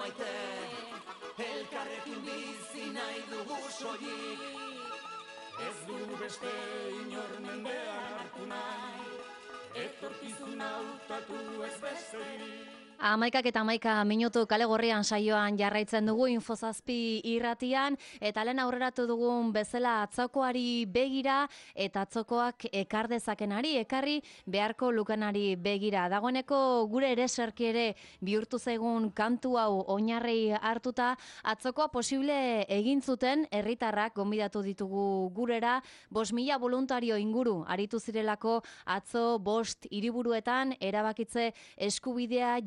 maite, elkarrekin bizi nahi dugu soilik. Ez du beste inor mendean hartu nahi, etorkizuna hautatu ez besterik. 11:11 kale gorrian saioan jarraitzen dugu Infozazpi irratian, eta lehen aurreratu dugun bezala atzokoari begira eta atzokoak ekar dezakenari, ekarri beharko lukenari begira. Dagoeneko gure ereserki ere bihurtu zaigun kantu hau oinarri hartuta, atzokoa posible egin zuten herritarrak gonbidatu ditugu gurera, 5.000 voluntario inguru aritu zirelako atzo 5 hiriburuetan erabakitze eskubidea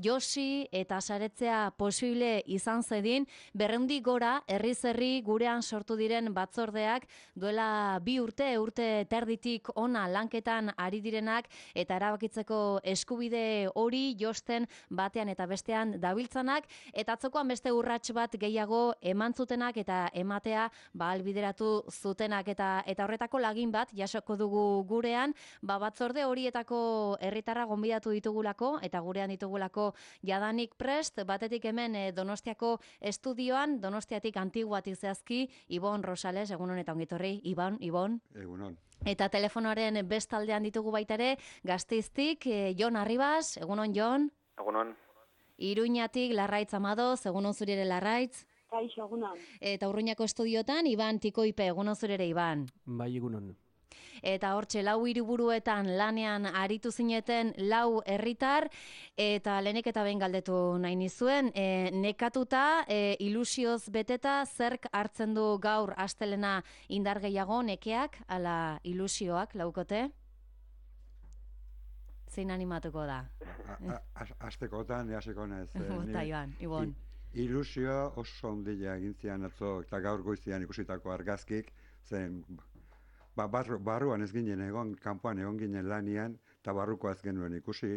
eta saretzea posible izan zedin, 200 gora herriz herri gurean sortu diren batzordeak duela 2 urte terditik ona lanketan ari direnak eta erabakitzeko eskubide hori josten batean eta bestean dabiltzanak, eta atzokoan beste urrats bat gehiago eman zutenak eta ematea ahalbideratu zutenak, eta horretako lagin bat jasoko dugu gurean, batzorde horietako herritarra gonbidatu ditugulako eta gurean ditugulako jadanik prest, batetik hemen Donostiako estudioan, Donostiatik Antiguatik zehazki, Ibon Rosales, egunon eta ongitorri, Ibon. Egunon. Eta telefonoaren bestaldean ditugu baita ere, Gasteiztik, Jon Arribas, egunon Jon. Egunon. Iruñatik Larraitz Amadoz, egunon zuri ere Larraitz. Kaixo, egunon. Eta Urruñako estudiotan, Iban Tikoipe, egunon zuri ere Iban. Bai, egunon. Eta hortxe 4 hiriburuetan lanean aritu zineten 4 herritar, eta lehenik eta behin galdetu nahi nizuen, nekatuta, ilusioz beteta, zerk hartzen du gaur astelena indar gehiago, nekeak, ala ilusioak laukote? Zein animatuko da? Astekotan, jaseko nez. Bota, Ibon. Ilusioa oso ondila egin zian atzo, eta gaur goizian ikusitako argazkik, zen... barruan ez ginen egon, kanpoan egon ginen lanian, eta barruko ez genuen ikusi,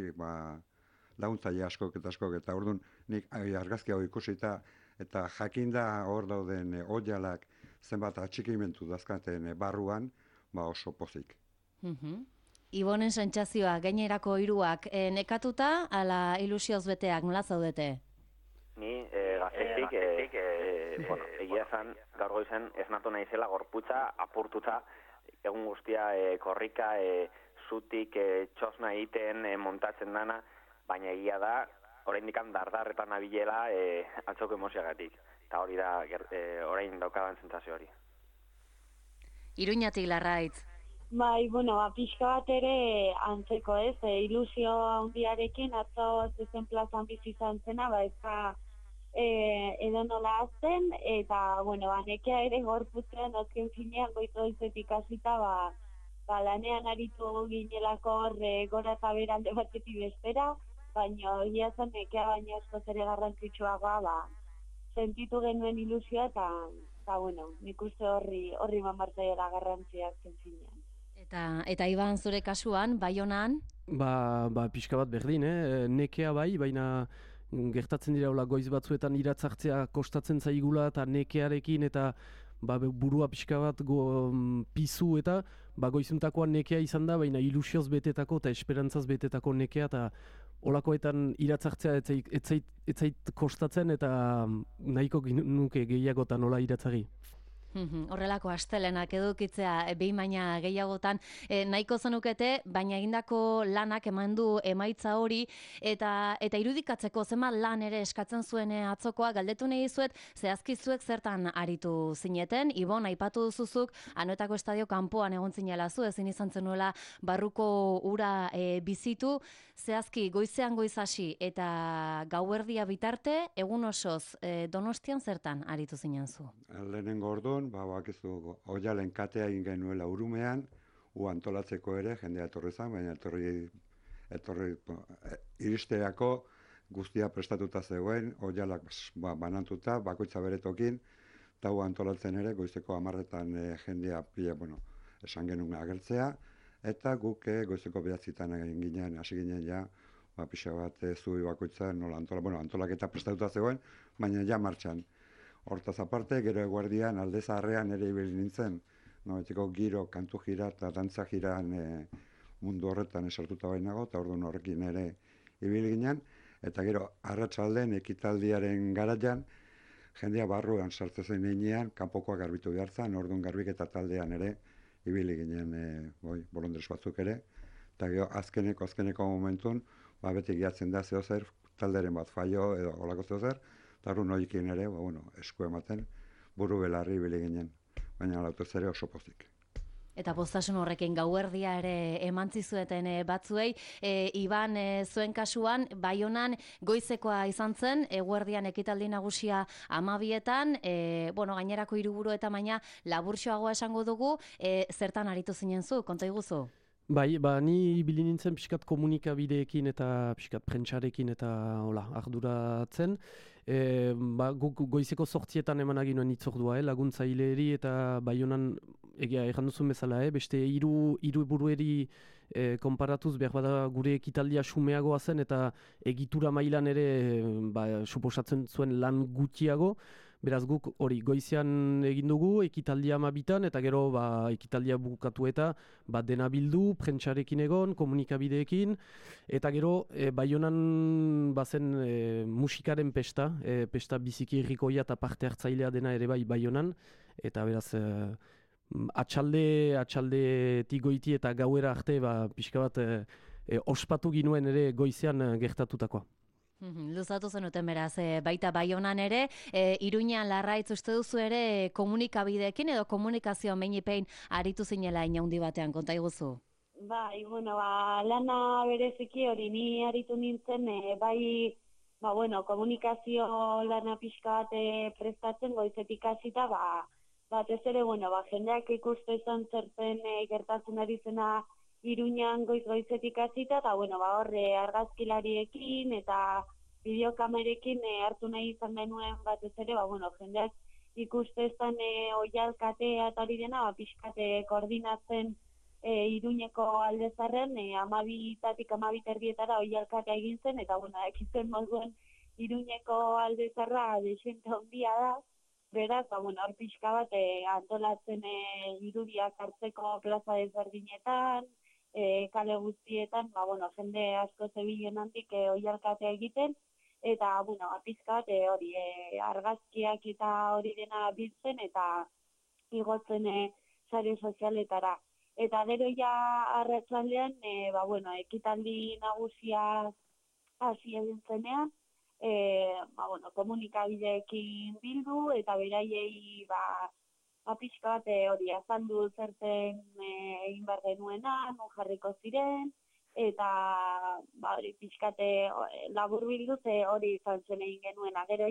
laguntzaile askok, eta orduan nik argazki hau ikusita, eta jakinda hor dauden oialak zenbat atxikimentu dazkaten barruan, oso pozik. Ibonen sentsazioa, gainerako hiruak nekatuta, ala ilusioz beteak, nola zaudete? Ni Gasteiztik, egia zan, gaur goizen ez natu naizela gorputza apurtuta, egun guztia korrika, zutik, txosna egiten, montatzen dana, baina egia da, oraindik dardarretan nabilela atzoko emozioagatik. Eta hori da, orain daukadan sentsazio hori. Iruñatik Larraitz. Bai, pixka bat ere antzeko ez, ilusio handiarekin atzo zezen plazan bizi izan zena, edo nola azten, eta, nekea ere gorputzean azken finean goizetik hasita, lanean aritu ginelako horre gora eta beralde batetik bestera, baina egia zen nekea baina asko zere garrantzitsuagoa, sentitu genuen ilusioa, eta nik uste horri mamartzaiela garrantziak zen finean. Eta Iban, zure kasuan, Baionan? Pixka bat berdin, nekea bai, baina gertatzen dira goiz batzuetan iratzartzea kostatzen zaigula eta nekearekin eta burua pixka bat pizu eta goizuntakoan nekea izan da, baina ilusioz betetako eta esperantzaz betetako nekea eta olakoetan iratzartzea etzait kostatzen eta nahiko nuke gehiagotan nola iratzari. Horrelako astelenak edukitzea behin baina gehiagotan nahiko zenukete, baina egindako lanak eman du emaitza hori, eta irudikatzeko zenbat lan ere eskatzen zuen atzokoa, galdetu nahi dizuet, zehazki zuek zertan aritu zineten. Ibon, aipatu duzuzuk, Anoetako estadio kanpoan egon zinela zu, ezin izan zenuela barruko ura bizitu, zehazki goizean goiz hasi eta gauerdia bitarte, egun osoz Donostian zertan aritu zinen zu? Lehenengo orduan, bakizu, oialen katea egin genuela Urumean, antolatzeko ere, jendea etorri zen, baina etorri iristeako guztia prestatuta zegoen, oialak banantuta, bakoitza beretokin, eta antolatzen ere, goizeko 10 jendea esan genuen agertzea, eta guk goizeko 9 hasi ginen pixa bat zubi bakoitza, antolaketa prestatuta zegoen, baina martxan. Hortaz aparte, gero eguerdian alde zaharrean ere ibili nintzen, giro, kantu jira eta dantza jiran mundu horretan esartuta bainago, eta orduan horrekin ere ibili ginen, Eta gero, arratsaldean ekitaldiaren garaian, jendea barruan sartzen heinean, kanpokoak garbitu behar zen, orduan garbiketa taldean ere, ibili ginen bolondres batzuk ere, eta gero azkeneko momentun, beti gehatzen da zehozer, talderen bat faio edo olako zehozer, eta arru noikin ere, esku ematen, buru belarri ibili ginen, baina lautez ere oso pozik. Eta postasun horrekin gauerdia ere emantzi zueten batzuei, Iban, zuen kasuan, Baionan goizekoa izan zen, eguerdian ekitaldi nagusia 12etan, gainerako hiriburu eta baina laburtxoagoa esango dugu, zertan aritu zinen zu, konta iguzu? Bai, ni ibili nintzen pixkat komunikabideekin eta pixkat prentsarekin eta arduratzen. Guk goizeko 8etan eman aginuen itzordua, laguntzaileri eta Baionan egia erran duzun bezala, beste hiru burueri konparatuz behar bada gure ekitaldia xumeagoa zen eta egitura mailan ere suposatzen zuen lan gutxiago. Beraz guk hori goizean egin dugu, ekitaldia 12etan, eta gero ekitaldia bukatu eta dena bildu, prentsarekin egon, komunikabideekin, eta gero Baionan bazen musikaren pesta biziki irrikoia eta parte hartzailea dena ere Baionan, eta beraz atxaldetik goiti eta gauera arte pixka bat ospatu ginuen ere goizean gertatutakoa. Luzatu zenuten beraz, baita Baionan ere, Iruñan Larraitz uste duzu ere komunikabideekin edo komunikazioan behin aritu zinela inaundi batean, konta iguzu? Bai, lana bereziki hori ni aritu nintzen, komunikazio lana pixka bat prestatzen goizetik hasita, batez ere, jendeak ikuste izan zertzen gertatzen ari zena Iruñan goizetik hasita, eta horre argazkilariekin eta bideokamerekin hartu nahi izan genuen batez ere, jendeak ikuste izan oihalkatea eta hori dena, pixkate koordinatzen Iruñeko aldezarren, 12-tatik 12:30 oihalkatea egin zen, eta ekitzen moduen Iruñeko aldezarra desente handia da, beraz, hor pixka bat antolatzen irudiak hartzeko plaza desberdinetan, kale guztietan, jende asko zebilen handik oihalkatea egiten, eta, pizka bat hori argazkiak eta hori dena biltzen eta igotzen sare sozialetara. Eta gero arratsaldean, ekitaldi nagusia hasi egin zenean, komunikabideekin bildu eta beraiei pixka bat hori azaldu zerten egin behar genuena, non jarriko ziren, eta hori pixkate labur bilduz hori izan zen egin genuena. Gero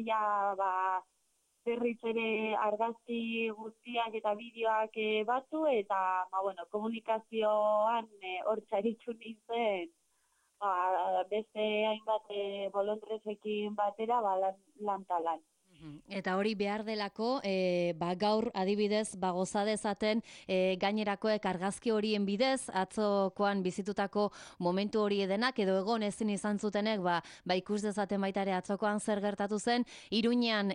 berriz ere argazki guztiak eta bideoak batu, eta komunikazioan hor txaritxu nintzen, beste hainbat bolondresekin batera lan. Eta hori behar delako, gaur adibidez goza dezaten gainerakoek argazki horien bidez, atzokoan bizitutako momentu hori edenak, edo egon ezin izan zutenek, ikus dezaten baita ere atzokoan zer gertatu zen, Iruñan,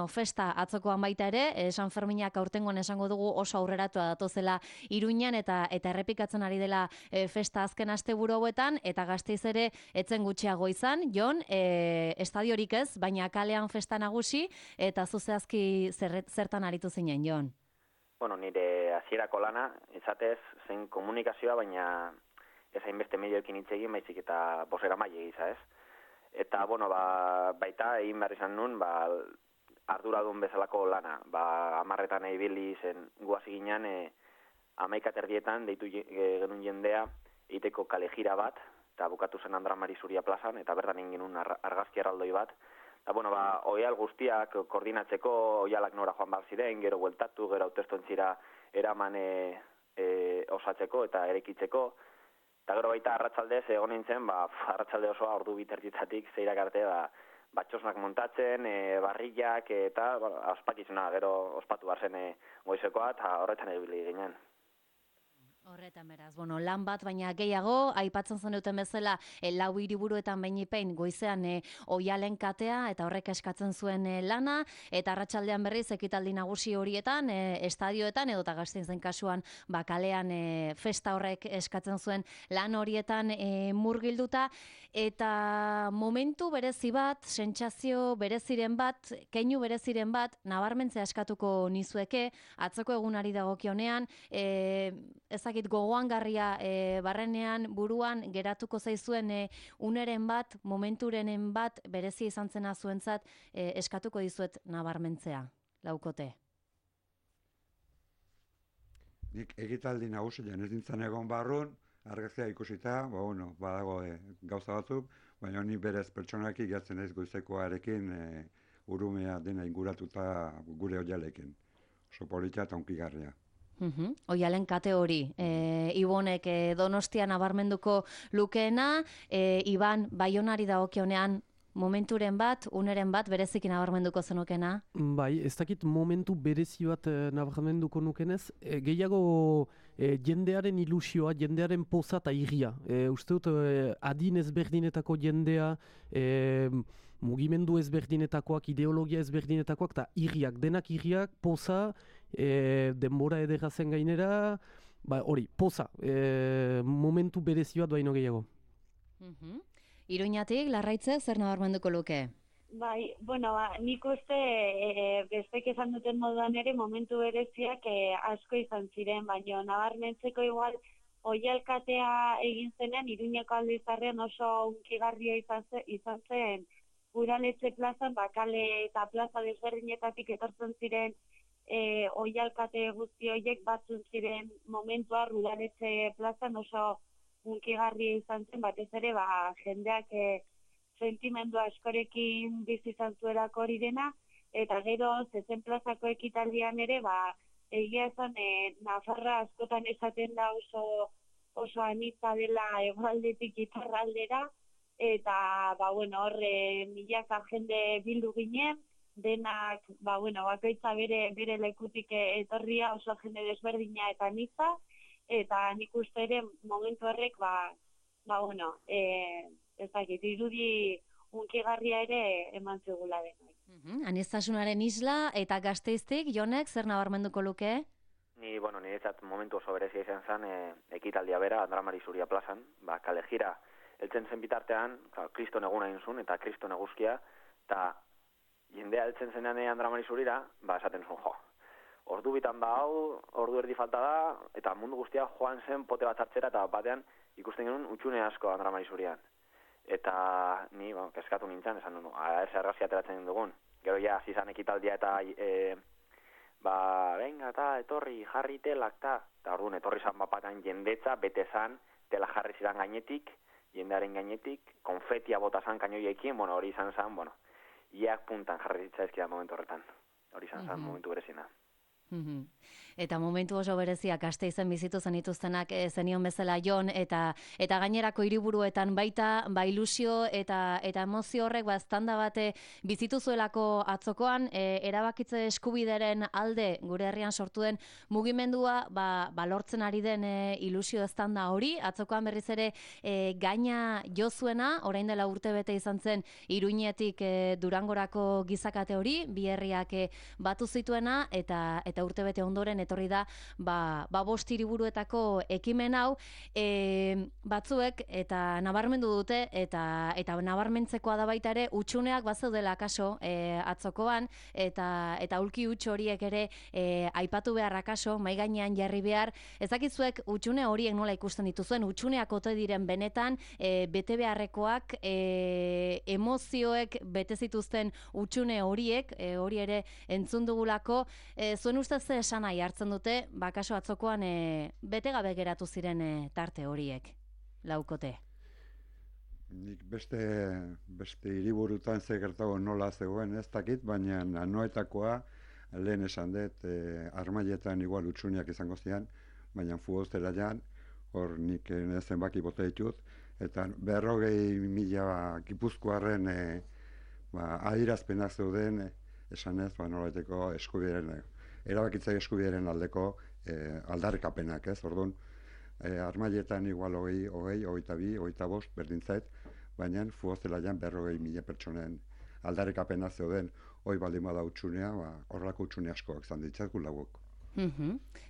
festa atzokoan baita ere, San Ferminak aurtengoan esango dugu oso aurreratua datozela Iruñan, eta errepikatzen ari dela festa azken asteburu hauetan, eta Gasteiz ere etzen gutxiago izan, Jon, estadiorik ez, baina kalean festa nagusi, eta zuzehazki zertan aritu zinen, Jon? Nire hasierako lana, izatez, zen komunikazioa, baina ez hainbeste medioekin hitz egin, baizik eta bozera maile giza, ez? Eta, baita egin behar izan nun, arduradun bezalako lana. 10etan ibili zen guazi ginen, 11:30 deitu genuen jendea, egiteko kale jira bat, eta bukatu zen Andra Mari Zuria plazan, eta bertan egin genuen argazki erraldoi bat. Eta, oial guztiak koordinatzeko, oialak nora joan behar ziren, gero bueltatu, gero hautestontzira eraman osatzeko eta erekitzeko. Eta gero baita arratsaldez egon nintzen, arratsalde osoa ordu 2:00 zeirak arte, txosnak montatzen, barrillak, eta ospakizuna, gero ospatu behar zen goizekoa, eta horretan ebili ginen. Horretan beraz, lan bat, baina gehiago, aipatzen zenuten bezala, lau hiriburuetan behin goizean oialen katea, eta horrek eskatzen zuen lana, eta arratsaldean berriz ekitaldi nagusi horietan, estadioetan, edo eta Gasteizen kasuan, kalean festa horrek eskatzen zuen lan horietan murgilduta, eta momentu berezi bat, sentsazio bereziren bat, keinu bereziren bat, nabarmentzea eskatuko nizueke, atzoko egunari dagokionean, ezakit gogoangarria barrenean, buruan, geratuko zaizuen uneren bat, momenturenen bat, berezi izan zena zuentzat, eskatuko dizuet nabarmentzea, laukote. Nik egitaldi nagusian ez nintzen egon barrun, argazkia ikusita, badago gauza batzuk, baina ni berez pertsonaki gertzen ez goizekoarekin urumea dena inguratuta gure oialekin. Oso politia eta unkigarria. Oialen kate hori, Ibonek Donostian nabarmenduko lukeena, Iban Baionari dagokionean momenturen bat, uneren bat, berezikin nabarmenduko zenukena? Bai, ez dakit momentu berezi bat nabarmenduko nukenez, gehiago jendearen ilusioa, jendearen poza eta irria. Uste dut, adin ezberdinetako jendea, mugimendu ezberdinetakoak, ideologia ezberdinetakoak, eta irriak, denak irriak, poza, denbora edera zen gainera, hori, poza, momentu berezi bat baino gehiago. Iruñatik, Larraitze, zer nabarmenduko luke? Bai, nik uste bestek esan duten moduan ere momentu bereziak asko izan ziren, baina nabarmentzeko igual oialkatea egin zenean Iruñeko Aldizarrean oso unkigarria izan zen Udaletxe plazan, kale eta plaza desberdinetatik etortzen ziren oialkate guzti horiek batzun ziren momentua Udaletxe plazan oso unkigarria izan zen, batez ere jendeak sentimendu askorekin bizi izan zuelako hori dena, eta gero zezen plazako ekitaldian ere, egia esan Nafarra askotan esaten da oso anitza dela hegoaldetik iparraldera, eta horre milaka jende bildu ginen, denak, bakoitza bere lekutik etorria oso jende desberdina eta anitza, eta nik uste ere momentu horrek, ez dakit, irudi unkigarria ere eman zigula denoi. Aniztasunaren isla eta Gasteiztik, Jonek, zer nabarmenduko luke? Niretzat momentu oso berezia izan zen ekitaldia bera, Andramari Zuria plazan, kale jira, heltzen zen bitartean, kriston eguna egin zuen, eta kriston eguzkia, eta jendea heltzen zenean Andramari Zurira, esaten zuen, ordu bitan hau, ordu erdi falta da, eta mundu guztia joan zen pote bat hartzera, eta batean ikusten genuen utxune asko Andramari Zurian. Eta ni, keskatu nintzen, esan nuen, ez errazia ateratzen dugun. Gero ja, zizan ekitaldia eta venga, etorri, jarri telak, eta orduan, etorri zan bapatean jendetza, bete zan, tela jarri zidan gainetik, jendearen gainetik, konfetia bota zan kainoiekin, hori izan zan, iak puntan jarri zitzaizkidan momentu horretan. Hori izan zan momentu berezina. Eta momentu oso bereziak Gasteizen bizitu zenituztenak zenion bezala Jon, eta gainerako hiriburuetan baita, ilusio eta emozio horrek eztanda bate bizitu zuelako atzokoan, erabakitze eskubideren alde gure herrian sortu den mugimendua, lortzen ari den ilusio eztanda hori, atzokoan berriz ere gaina jo zuena, orain dela urtebete izan zen Iruñetik Durangorako gizakate hori, bi herriak batu zituena, eta urtebete ondoren etorri da bost hiriburuetako ekimen hau, batzuek eta nabarmendu dute eta nabarmentzekoa da baita ere utxuneak bazeudela kaso atzokoan, eta ulki utx horiek ere aipatu behar akaso, mai gainean jarri behar. Ezakizuek utxune horiek nola ikusten dituzuen, utxuneak ote diren benetan bete beharrekoak, emozioek bete zituzten utxune horiek, hori ere entzun dugulako, zuen ustez ze esan nahi hartzen dute, kaso atzokoan bete gabe geratu ziren tarte horiek, laukote? Nik beste hiriburutan ze gertago nola zegoen ez dakit, baina anoetakoa lehen esan dut, Armaietan igual utxuniak izango zian, baina futbolzelaian, hor nik zenbaki bota ditut, eta 40.000 Gipuzkoarren adierazpenak zeuden, esanez, nolaiteko eskubideren, erabakitzaile eskubideren aldeko aldarrikapenak, ez? Orduan, armailetan igual 22, berdin zait, baina futbolzelaian 40.000 pertsonen aldarrikapena zeuden, hoi baldin bada utxunea, horrelako utxune askoak izan ditzakun lauok.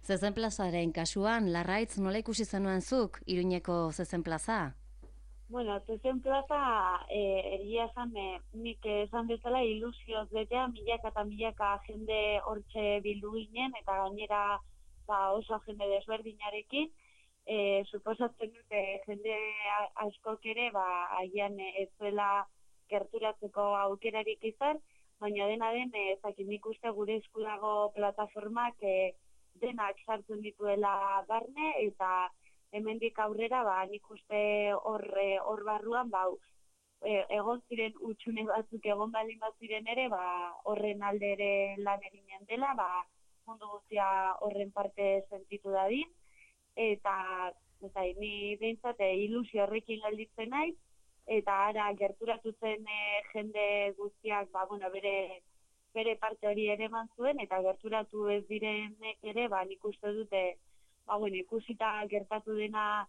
Zezen plazaren kasuan, Larraitz nola ikusi zenuen zuk, Iruñeko Zezen plaza? Bueno, Zezen plaza, egia esan, nik esan bezala ilusioz betea, milaka eta milaka jende hortxe bildu ginen, eta gainera oso jende desberdinarekin, suposatzen dute jende askok ere, agian ez zuela gerturatzeko aukerarik izan, baina dena den, nik uste gure esku dago plataformak denak sartzen dituela barne, eta hemendik aurrera, nik uste hor barruan, egon ziren utxune batzuk egon balin baziren ere, horren alde ere lan eginen dela, mundu guztia horren parte sentitu dadin, eta ni behintzat ilusio horrekin gelditzen naiz, eta ara gerturatu zen jende guztiak bere parte hori ere eman zuen, eta gerturatu ez direnek ere, nik uste dute, ikusita gertatu dena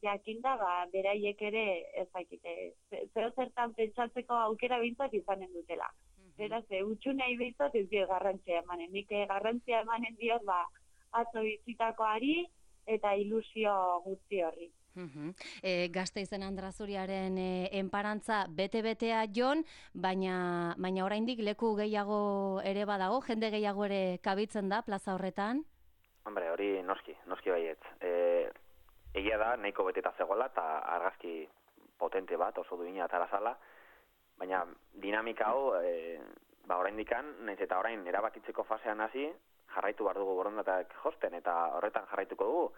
jakinda, beraiek ere zeo zertan pentsatzeko aukera behintzat izanen dutela. Beraz, utxunei behintzat ez dio garrantzia emanen. Nik garrantzia emanen diot atzo bizitakoari eta ilusio guzti horri. Gasteizen Andrazuriaren enparantza bete-betea jon, baina oraindik leku gehiago ere badago, jende gehiago ere kabitzen da plaza horretan? Hombre, hori noski baietz. Egia da, nahiko beteta zegoela, eta argazki potente bat, oso duina atara zala, baina dinamika hau, oraindikan, nahiz eta orain erabakitzeko fasean hasi, jarraitu behar dugu borondateak josten, eta horretan jarraituko dugu.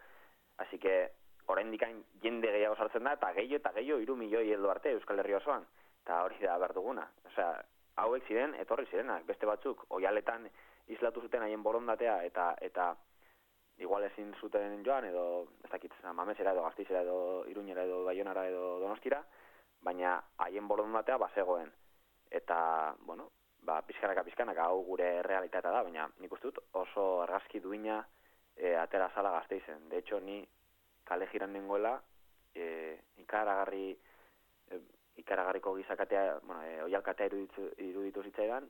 Así que, oraindikan jende gehiago sartzen da, eta gehiago 3 milioi heldu arte Euskal Herri osoan. Eta hori da behar duguna. Osea, hauek ziren, etorri zirenak, beste batzuk, oialetan islatu zuten haien borondatea, eta igual ezin zuten joan, edo, ez dakit, Mamesera edo Gasteizera edo Iruñera edo Baionara edo Donostiara, baina haien borondatea bazegoen. Eta, pizkanaka hau gure realitatea da, baina nik uste dut oso argazki duina atera zala Gasteizen. De hecho, ni kale jiran nengoela, ikaragarriko gizakatea, oialkatea iruditu zitzaidan,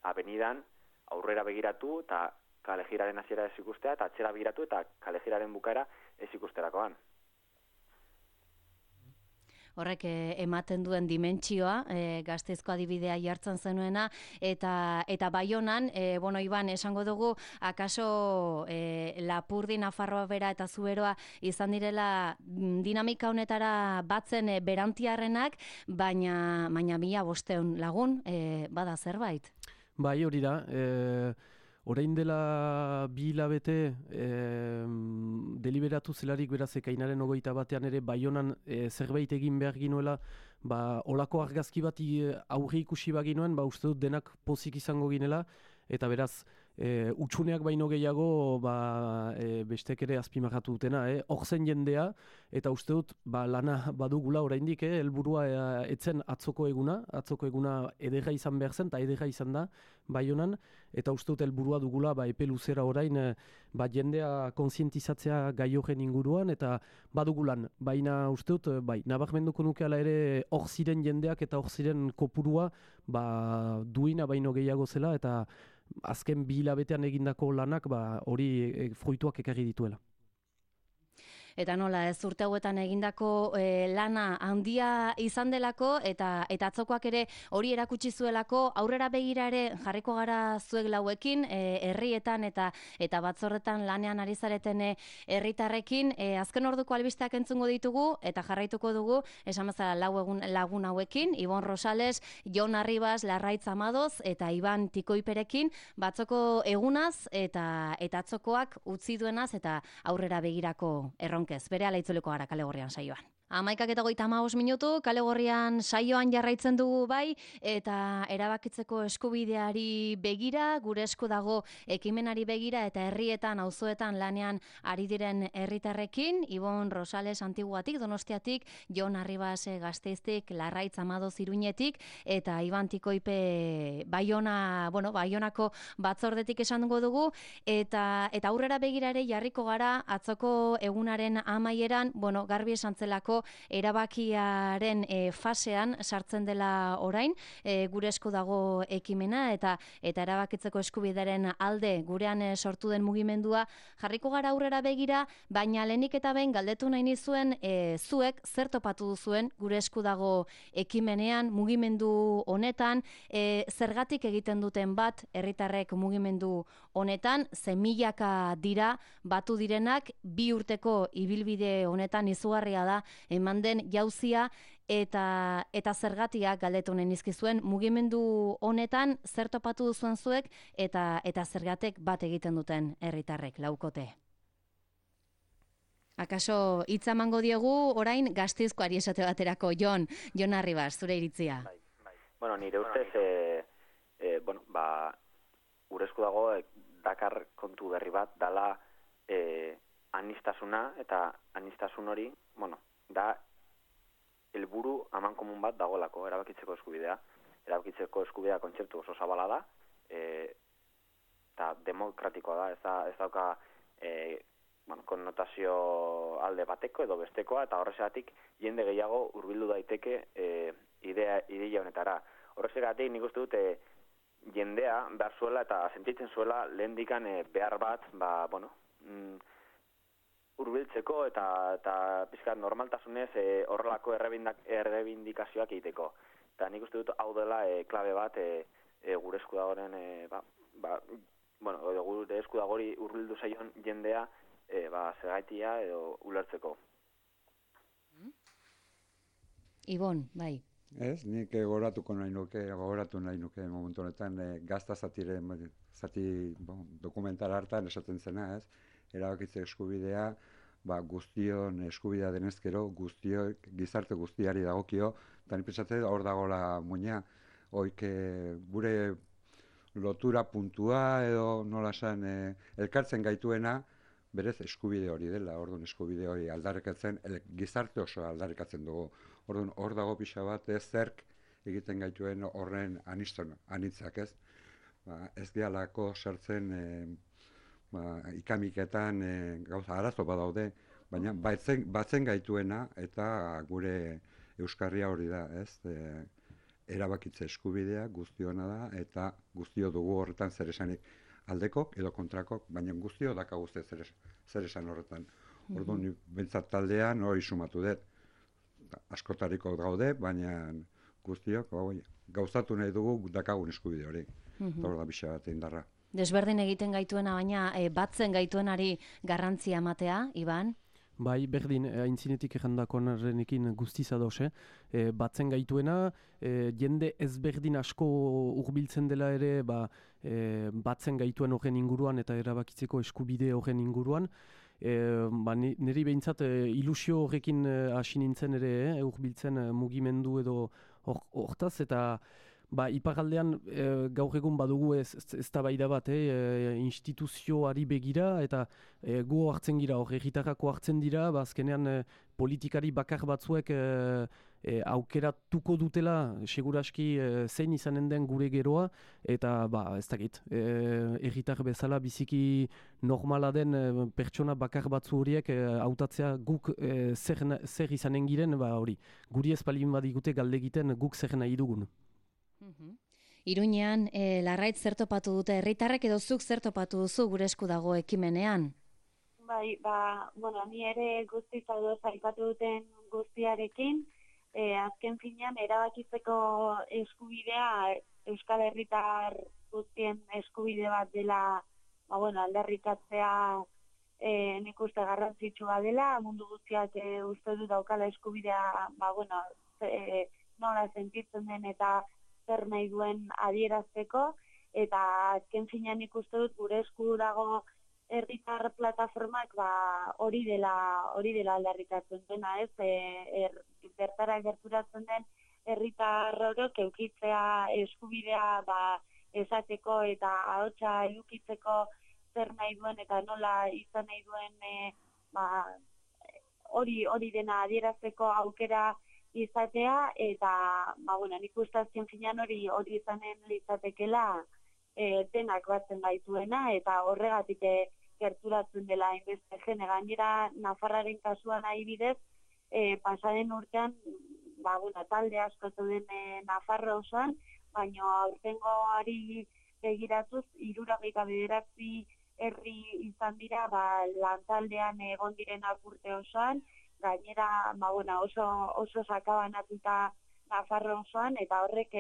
avenidan aurrera begiratu eta kale jiraren hasiera ez ikustea, eta atzera begiratu eta kale jiraren bukaera ez ikusterakoan. Horrek ematen duen dimentsioa, Gasteizko adibidea jartzen zenuena, eta Baionan, Iban, esango dugu, akaso Lapurdi, Nafarroa bera eta Zuberoa izan direla dinamika honetara batzen berantiarrenak, baina 1500 lagun, bada zerbait? Bai, hori da. Orain dela 2 hilabete deliberatu zelarik beraz ekainaren 21 ere Baionan zerbait egin behar ginuela, olako argazki bat aurre ikusi baginuen, uste dut denak pozik izango ginela, eta beraz utxuneak baino gehiago bestek ere azpimarratu dutena, hor zen jendea, eta uste dut lana badugula oraindik, helburua etzen atzoko eguna ederra izan behar zen, eta ederra izan da Baionan, eta uste dut helburua dugula epe luzera orain jendea kontzientizatzea gai horren inguruan, eta badugulan, baina uste dut, nabarmenduko nukeala ere hor ziren jendeak eta hor ziren kopurua duina baino gehiago zela, eta azken 2 hilabetean egindako lanak hori fruituak ekarri dituela. Eta nola, ez urte hauetan egindako lana handia izan delako, eta atzokoak ere hori erakutsi zuelako, aurrera begira ere jarriko gara zuek lauekin, herrietan eta batzorretan lanean ari zareten herritarrekin, azken orduko albisteak entzungo ditugu, eta jarraituko dugu, esan bezala lagun hauekin, Ibon Rosales, Jon Arribas, Larraitz Amadoz, eta Iban Tikoiperekin, batzoko egunaz, eta atzokoak utzi duenaz, eta aurrera begirako erronka. Bere ala itzuleko gara kale gorrian saioan. 11:35 kale gorrian saioan jarraitzen dugu bai, eta erabakitzeko eskubideari begira, gure esku dago ekimenari begira eta herrietan, auzoetan lanean ari diren herritarrekin, Ibon Rosales Antiguatik, Donostiatik, Jon Arribas Gasteiztik, Larraitz Amadoz Iruñetik, eta Iban Tikoipe Baionako batzordetik esango dugu, eta aurrera begira ere jarriko gara atzoko egunaren amaieran, garbi esan zelako erabakiaren fasean sartzen dela orain, gure esku dago ekimena eta erabakitzeko eskubidearen alde gurean sortu den mugimendua jarriko gara aurrera begira, baina lehenik eta behin galdetu nahi nizuen zuek zer topatu duzuen gure esku dago ekimenean, mugimendu honetan, zergatik egiten duten bat herritarrek mugimendu honetan, milaka dira batu direnak, 2 urteko ibilbide honetan izugarria da eman den jauzia eta zergatiak galdetu nahi nizkizuen mugimendu honetan zer topatu duzuen zuek eta zergatek bat egiten duten herritarrek laukote. Akaso hitza emango diegu orain Gasteizkoari esate baterako Jon Arribas, zure iritzia. Bai. Nire ustez gure esku dago dakar kontu berri bat dala anistasuna eta anistasun hori, da helburu amankomun bat dagolako erabakitzeko eskubidea. Erabakitzeko eskubidea kontzeptu oso zabala da, eta demokratikoa da, ez dauka konnotazio alde bateko edo bestekoa, eta horrexegatik jende gehiago hurbildu daiteke ideia honetara. Horrexegatik nik uste dut jendea behar zuela eta sentitzen zuela lehendikan behar bat, hurbiltzeko eta pizkat normaltasunez horrelako errebindikazioak egiteko. Eta nik uste dut hau dela klabe bat gure esku dagoren, gure esku dagori hurbildu zaion jendea zergaitia edo ulertzeko. Ibon, bai. Ez, nik gogoratu nahi nuke momentu honetan gazta zati dokumental hartan esaten zena, ez? Erabakitze eskubidea, guztion eskubidea denezkero, gizarte guztiari dagokio, eta nik pentsatzen hor dagoela muina, gure lotura puntua edo nola esan elkartzen gaituena, berez eskubide hori dela, orduan eskubide hori aldarrikatzen, gizarte oso aldarrikatzen dugu. Orduan, hor dago pixa bat zerk egiten gaituen horren anitzak, ez? Ez dialako sartzen ikamiketan gauza arazo badaude, baina batzen gaituena eta gure euskarria hori da, ez? Erabakitze eskubidea guztiona da eta guztio dugu horretan zer esanik aldekok edo kontrakok, baina guztio daka guzti zer esan horretan. Orduan, bentsat taldean hori sumatu dut. Askotariko gaude, baina guztiok gauzatu nahi dugu dakagun eskubide hori. Hor da bixa bat indarra. Desberdin egiten gaituena, baina batzen gaituenari garrantzia ematea, Iban? Bai, berdin, aintzinetik errandakonarenekin guztiz ados, batzen gaituena, jende ezberdin asko hurbiltzen dela ere, batzen gaituen horren inguruan eta erabakitzeko eskubide horren inguruan. Niri behintzat ilusio horrekin hasi nintzen ere, hurbiltzen mugimendu edo hortaz, eta iparaldean gaur egun badugu eztabaida bat, instituzioari begira, eta gu hartzen gira, herritarrako hartzen dira, azkenean politikari bakar batzuek aukeratuko dutela, seguraski zein izanen den gure geroa, eta ez dakit, herritar bezala biziki normala den pertsona bakar batzu horiek hautatzea guk zer izanen giren, hori, guri ez palin badigute galdegiten guk zer nahi dugun. Iruñean, Larraitz zer topatu dute herritarrek edo zuk zer topatu duzu gure esku dago ekimenean? Bai, ni ere guztiz ados aipatu duten guztiarekin, azken finean erabakitzeko eskubidea Euskal Herritar guztien eskubide bat dela, aldarrikatzea nik uste garrantzitsua dela, mundu guztiak uste du daukala eskubidea, nola sentitzen den eta zer nahi duen adierazteko, eta azken finean ikuste dut gure esku dago herritar plataformak hori dela aldarrikatzen dena, ez? Bertara gerturatzen den herritar orok eukitzea eskubidea esateko eta ahotsa edukitzeko zer nahi duen eta nola izan nahi duen hori dena adierazteko aukera izatea eta nik uste azken finean hori izanen litzatekela denak batzen gaituena eta horregatik gerturatzen dela hainbeste jende. Gainera Nafarraren kasuan adibidez pasaden urtean talde asko zeuden Nafarro osoan, baina aurtengoari begiratuz 79 herri izan dira lantaldean egon direnak urte osoan, gainera oso sakabanatuta Nafarro osoan, eta horrek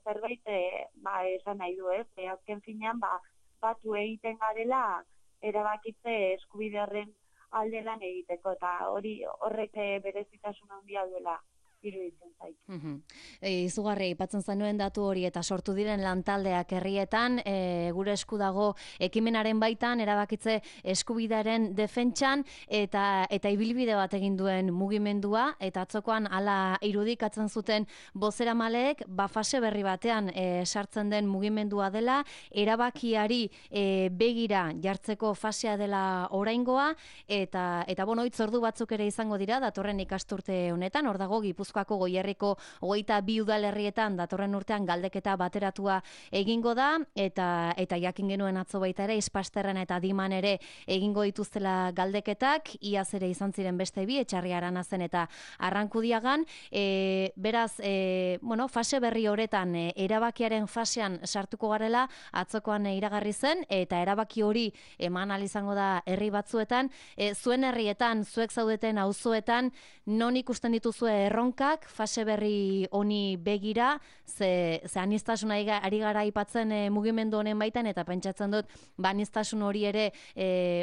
zerbait esan nahi du, ez? Azken finean batu egiten garela erabakitze eskubide horren alde lan egiteko, eta horrek berezitasun handia duela iruditzen zait. Izugarri aipatzen zenuen datu hori eta sortu diren lantaldeak herrietan, gure esku dago ekimenaren baitan erabakitze eskubidearen defentsan eta ibilbide bat egin duen mugimendua, eta atzokoan hala irudikatzen zuten bozeramaleek fase berri batean sartzen den mugimendua dela, erabakiari begira jartzeko fasea dela oraingoa, eta hitzordu batzuk ere izango dira datorren ikasturte honetan. Hor dago Gipuzkoako Goierriko 22 udalerrietan datorren urtean galdeketa bateratua egingo da, eta jakin genuen atzo baita ere Ispasterren eta Diman ere egingo dituztela galdeketak, iaz ere izan ziren beste bi, Etxarri Aranazen eta Arrankudiagan. Beraz, fase berri horretan erabakiaren fasean sartuko garela atzokoan iragarri zen, eta erabaki hori eman ahal izango da herri batzuetan. Zuen herrietan, zuek zaudeten auzoetan, non ikusten dituzue erronkak fase berri honi begira, ze aniztasuna ari gara aipatzen mugimendu honen baitan, eta pentsatzen dut aniztasun hori ere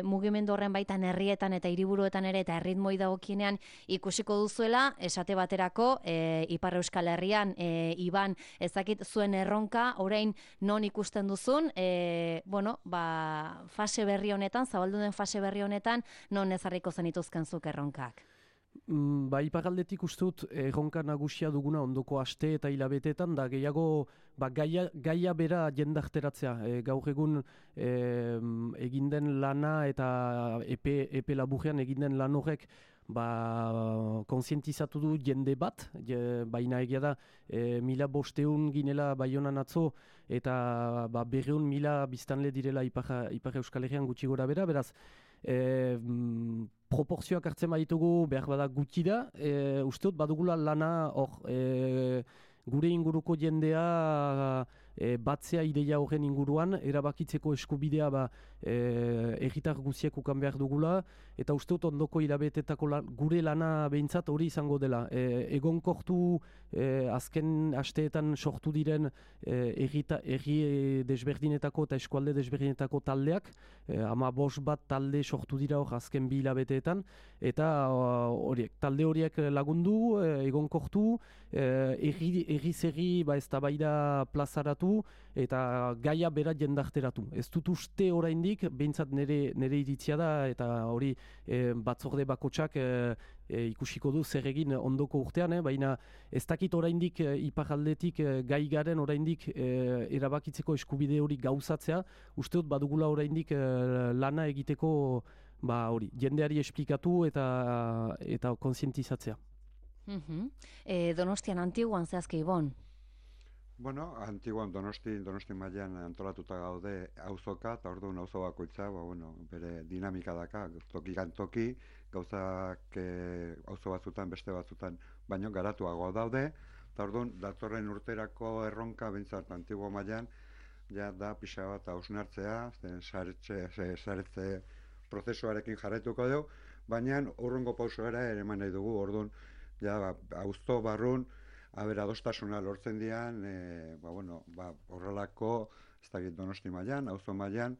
mugimendu horren baitan herrietan eta hiriburuetan ere eta erritmoi dagokienean ikusiko duzuela. Esate baterako Ipar Euskal Herrian Iban, ezakit zuen erronka orain non ikusten duzun, fase berri honetan, zabaldu den fase berri honetan, non ezarriko zenituzken zuk erronkak? Iparraldetik uste dut erronka nagusia duguna ondoko aste eta hilabeteetan, da gehiago gaia bera jendarteratzea. Gaur egun eginden lana eta epe laburrean eginden lan horrek konsientizatu du jende bat, baina egia da 1500 ginela Baionan atzo, eta 200.000 biztanle direla Ipar Euskal Herrian gutxi gora bera, beraz, proportzioak hartzen baditugu behar bada gutxi da, uste dut badugula lana hor gure inguruko jendea batzea ideia horren inguruan, erabakitzeko eskubidea erritar guziek ukan behar dugula, eta uste dut ondoko hilabetetako gure lana behintzat hori izango dela. Egonkortu azken asteetan sortu diren erri desberdinetako eta eskualde desberdinetako taldeak, 15 bat talde sortu dira hor azken 2 hilabeteetan, eta talde horiek lagundu, egonkortu, erri eztabaida plazaratu eta gaia bera jendarteratu. Ez dut uste oraindik, behintzat nire iritzia da, eta hori batzorde bakotsak ikusiko du zer egin ondoko urtean, baina ez dakit oraindik iparraldetik gai garen oraindik erabakitzeko eskubide hori gauzatzea, uste dut badugula oraindik lana egiteko hori, jendeari esplikatu eta konsientizatzea. Donostian, Antiguan zehazki, Ibon? Antiguan Donosti mailan antolatuta gaude auzoka, eta orduan auzo bakoitza, bere dinamika daka, tokikan toki, gauzak auzo batzutan, beste batzutan, baino garatuago daude, eta orduan datorren urterako erronka bentsat Antiguo mailan, da pixa bat hausnartzea, saretze prozesuarekin jarraituko dugu, baina urrungo pausoera ere eman nahi dugu, orduan, auzo barrun, adostasuna lortzen dian, horrelako, ez dakit Donosti mailan, auzo mailan,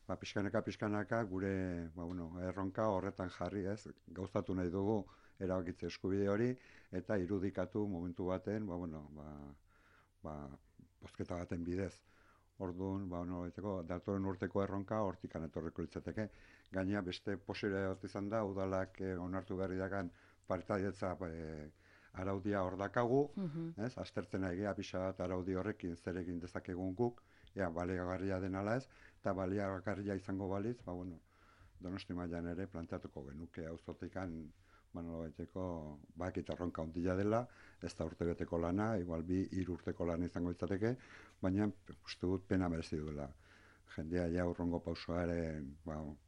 pixkanaka gure erronka horretan jarri, gauzatu nahi dugu erabakitze eskubide hori, eta irudikatu momentu baten, bozketa baten bidez. Orduan, datorren urteko erronka hortikan etorriko litzateke. gaina beste posibilitatea bat izan da, udalak onartu berri dakan partaidetza araudia hor dakagu, ez? Aztertzen egia pixa bat araudi horrekin zer egin dezakegun guk, ea baliagarria den ala ez, eta baliagarria izango balitz, Donosti mailan ere planteatuko genuke auzotikan baiteko bakit erronka ondila dela, ez da urtebeteko lana, igual 2-3 urteko lana izango izateke, baina uste dut pena merezi duela. Jendea ja urrongo pausoaren,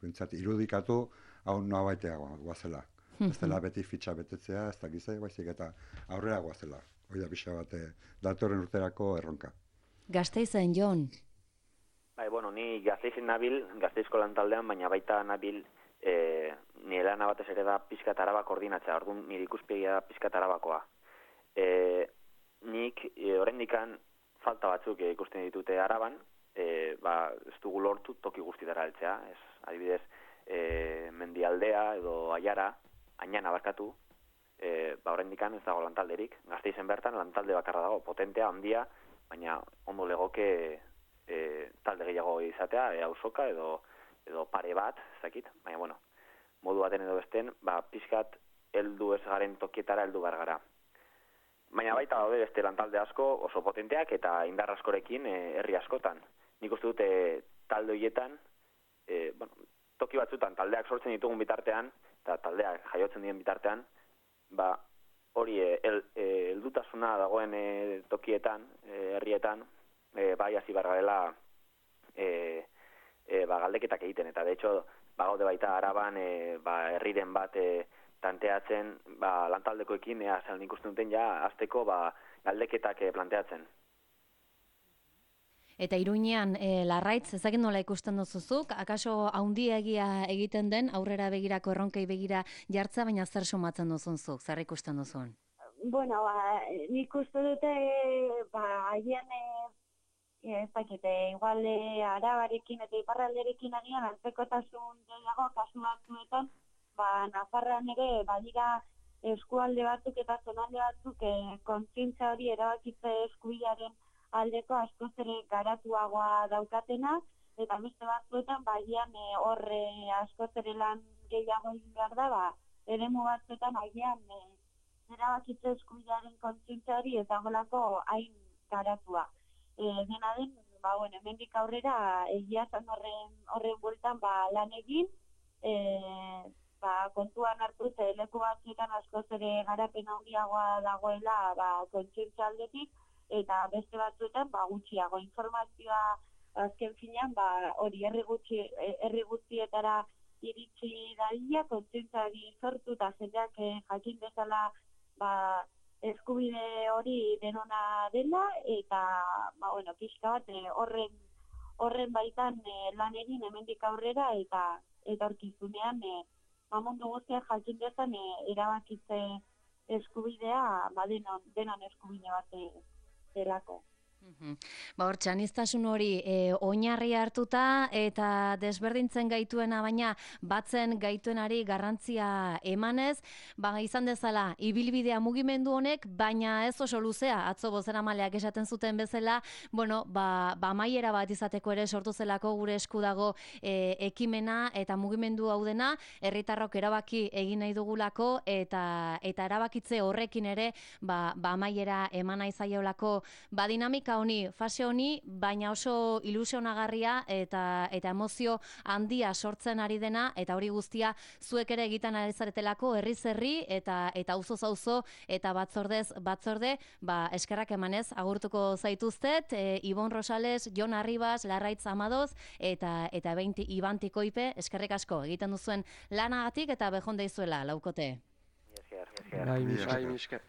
pentsat irudikatu, hau noa baiteagoa guazela. Ez dela beti fitxa betetzea, ez da gizai, baizik eta aurrera guazela. Hoi da pixa bat, datorren urterako erronka. Gasteizen, Jon? Ni Gasteizen nabil, Gasteizko lantaldean, baina baita nabil nire lana batez ere da pizkat Araba koordinatzea, orduan nire ikuspegia da pizkat Arabakoa. Nik oraindikan falta batzuk ikusten ditute Araban, ez dugu lortu toki guztietara heltzea, adibidez Mendialdea edo Aiara, Añana barkatu, oraindikan ez dago lantalderik. Gasteizen bertan lantalde bakarra dago, potentea, handia, baina ondo legoke talde gehiago izatea, auzoka edo pare bat, ez dakit, baina modu baten edo besten, pizkat heldu ez garen tokietara heldu behar gara. Baina baita daude beste lantalde asko oso potenteak eta indar askorekin herri askotan. Nik uste dute talde horietan, toki batzutan taldeak sortzen ditugun bitartean, eta taldeak jaiotzen diren bitartean, hori heldutasuna dagoen tokietan, herrietan, hasi behar garela galdeketak egiten, eta de hecho gaude baita Araban herriren bat planteatzen lantaldekoekin zen ikusten duten ja azteko galdeketak planteatzen. Eta Iruñean Larraitz ezagik nola ikusten duzuzuk, akaso haundiegia egiten den aurrera begirako erronkei begira jartza, baina zer sumatzen duzunzuk, zer ikusten duzun? Nik uste dute agian ez dakite, igual Arabarekin eta Iparralderekin agian antzekotasun gehiago kasu batzuetan, Nafarroan ere badira eskualde batzuk eta zonalde batzuk kontzientzia hori erabakitze eskubidearen aldeko askoz ere garatuagoa daukatena, eta beste batzuetan agian horre askoz ere lan gehiago egin behar da, eremu batzuetan agian erabakitze eskubidearen kontzientzia hori ez dagoelako hain garatua. Dena den, hemendik aurrera egia zen horren bueltan lan egin, kontuan hartu leku batzuetan askoz ere garapen handiagoa dagoela kontzientzia aldetik, eta beste batzuetan gutxiago informazioa azken finean hori herri guztietara iritsi dadila, kontzientziari sortu eta jendeak jakin dezala eskubide hori denona dela, eta pixka bat horren baitan lan egin hemendik aurrera eta etorkizunean mundu guztiak jakin dezan erabakitze eskubidea denon eskubide bat delako. Hor, txaniztasun hori oinarri hartuta eta desberdintzen gaituena, baina batzen gaituenari garrantzia emanez, izan dezala ibilbidea mugimendu honek, baina ez oso luzea, atzo bozeramaleak esaten zuten bezala, amaiera bat izateko ere sortu zelako gure esku dago ekimena eta mugimendu hau dena, herritarrok erabaki egin nahi dugulako eta erabakitze horrekin ere amaiera eman nahi zaiolako dinamika honi, fase honi, baina oso ilusionagarria eta emozio handia sortzen ari dena, eta hori guztia zuek ere egiten ari zaretelako herriz herri eta auzoz auzo eta batzordez batzorde, eskerrak emanez agurtuko zaituztet, Ibon Rosales, Jon Arribas, Larraitz Amadoz eta Iban Tikoipe, eskerrik asko egiten duzuen lanagatik eta bejon deizuela laukote. Bai, misker.